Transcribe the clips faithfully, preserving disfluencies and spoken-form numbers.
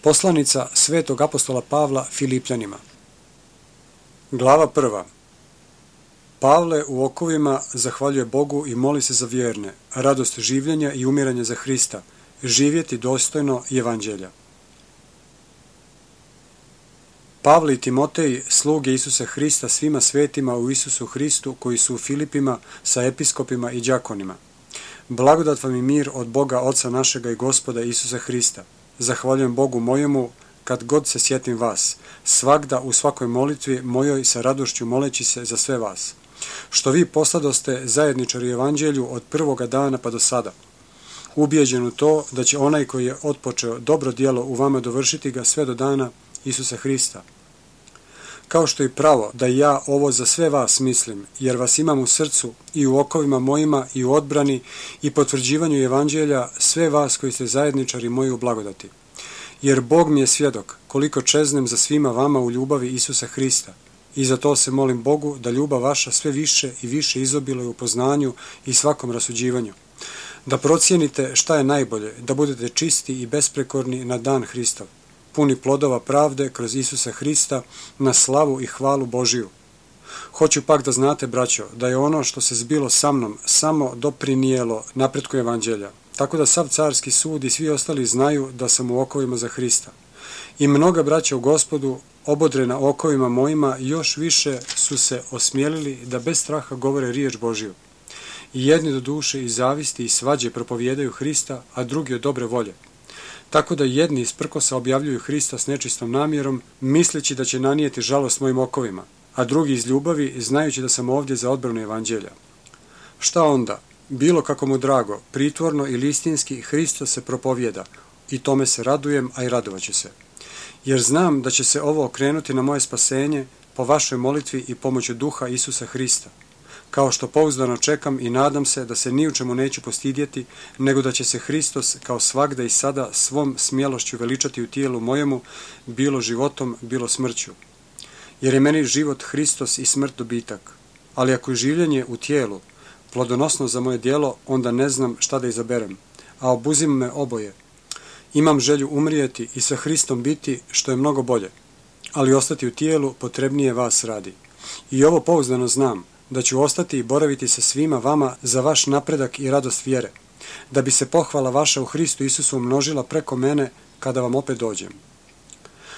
Poslanica svetog apostola Pavla Filipljanima. Glava prva. Pavle u okovima zahvaljuje Bogu i moli se za vjerne, radost življenja i umiranja za Hrista, živjeti dostojno Evanđelja. Pavle i Timotej, sluge Isusa Hrista svima svetima u Isusu Hristu koji su u Filipima sa episkopima i đakonima. Blagodat vam i mir od Boga Oca našega i Gospoda Isusa Hrista. Zahvaljujem Bogu mojemu kad god se sjetim vas, svagda u svakoj molitvi mojoj sa radošću moleći se za sve vas, što vi posladoste zajedničari Evanđelju od prvoga dana pa do sada, ubijeđen u to da će onaj koji je otpočeo dobro djelo u vama dovršiti ga sve do dana Isusa Hrista. Kao što je pravo da ja ovo za sve vas mislim, jer vas imam u srcu i u okovima mojima i u odbrani i potvrđivanju Evanđelja sve vas koji ste zajedničari moji u blagodati. Jer Bog mi je svjedok koliko čeznem za svima vama u ljubavi Isusa Hrista. I za to se molim Bogu da ljubav vaša sve više i više izobiluje u poznanju i svakom rasuđivanju. Da procijenite šta je najbolje, da budete čisti i besprekorni na dan Hristov, puni plodova pravde kroz Isusa Hrista na slavu i hvalu Božiju. Hoću pak da znate, braćo, da je ono što se zbilo sa mnom samo doprinijelo napretku Evanđelja, tako da sav carski sud i svi ostali znaju da sam u okovima za Hrista. I mnoga braća u Gospodu, obodrena okovima mojima, još više su se osmjelili da bez straha govore riječ Božiju. I jedni do duše i zavisti i svađe propovijedaju Hrista, a drugi od dobre volje. Tako da jedni iz prkosa objavljuju Hrista s nečistom namjerom, misleći da će nanijeti žalost mojim okovima, a drugi iz ljubavi, znajući da sam ovdje za odbranu Evanđelja. Šta onda? Bilo kako mu drago, pritvorno ili istinski, Hristos se propovijeda, i tome se radujem, a i radovaću se. Jer znam da će se ovo okrenuti na moje spasenje po vašoj molitvi i pomoću duha Isusa Hrista. Kao što pouzdano čekam i nadam se da se ni u čemu neću postidjeti, nego da će se Hristos kao svagda i sada svom smjelošću veličati u tijelu mojemu, bilo životom, bilo smrću. Jer je meni život Hristos i smrt dobitak. Ali ako je življenje u tijelu plodonosno za moje djelo, onda ne znam šta da izaberem, a obuzim me oboje. Imam želju umrijeti i sa Hristom biti, što je mnogo bolje, ali ostati u tijelu potrebnije vas radi. I ovo pouzdano znam, da ću ostati i boraviti sa svima vama za vaš napredak i radost vjere, da bi se pohvala vaša u Hristu Isusu umnožila preko mene kada vam opet dođem.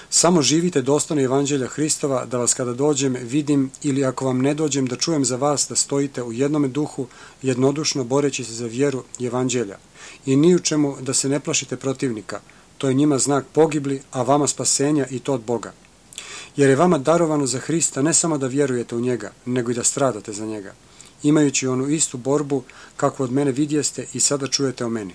Samo živite dostojno Evanđelja Hristova, da vas kada dođem vidim, ili ako vam ne dođem da čujem za vas da stojite u jednome duhu, jednodušno boreći se za vjeru i Evanđelja. I ni u čemu da se ne plašite protivnika, to je njima znak pogibli, a vama spasenja i to od Boga. Jer je vama darovano za Hrista ne samo da vjerujete u njega, nego i da stradate za njega, imajući onu istu borbu kakvu od mene vidjeste i sada čujete o meni.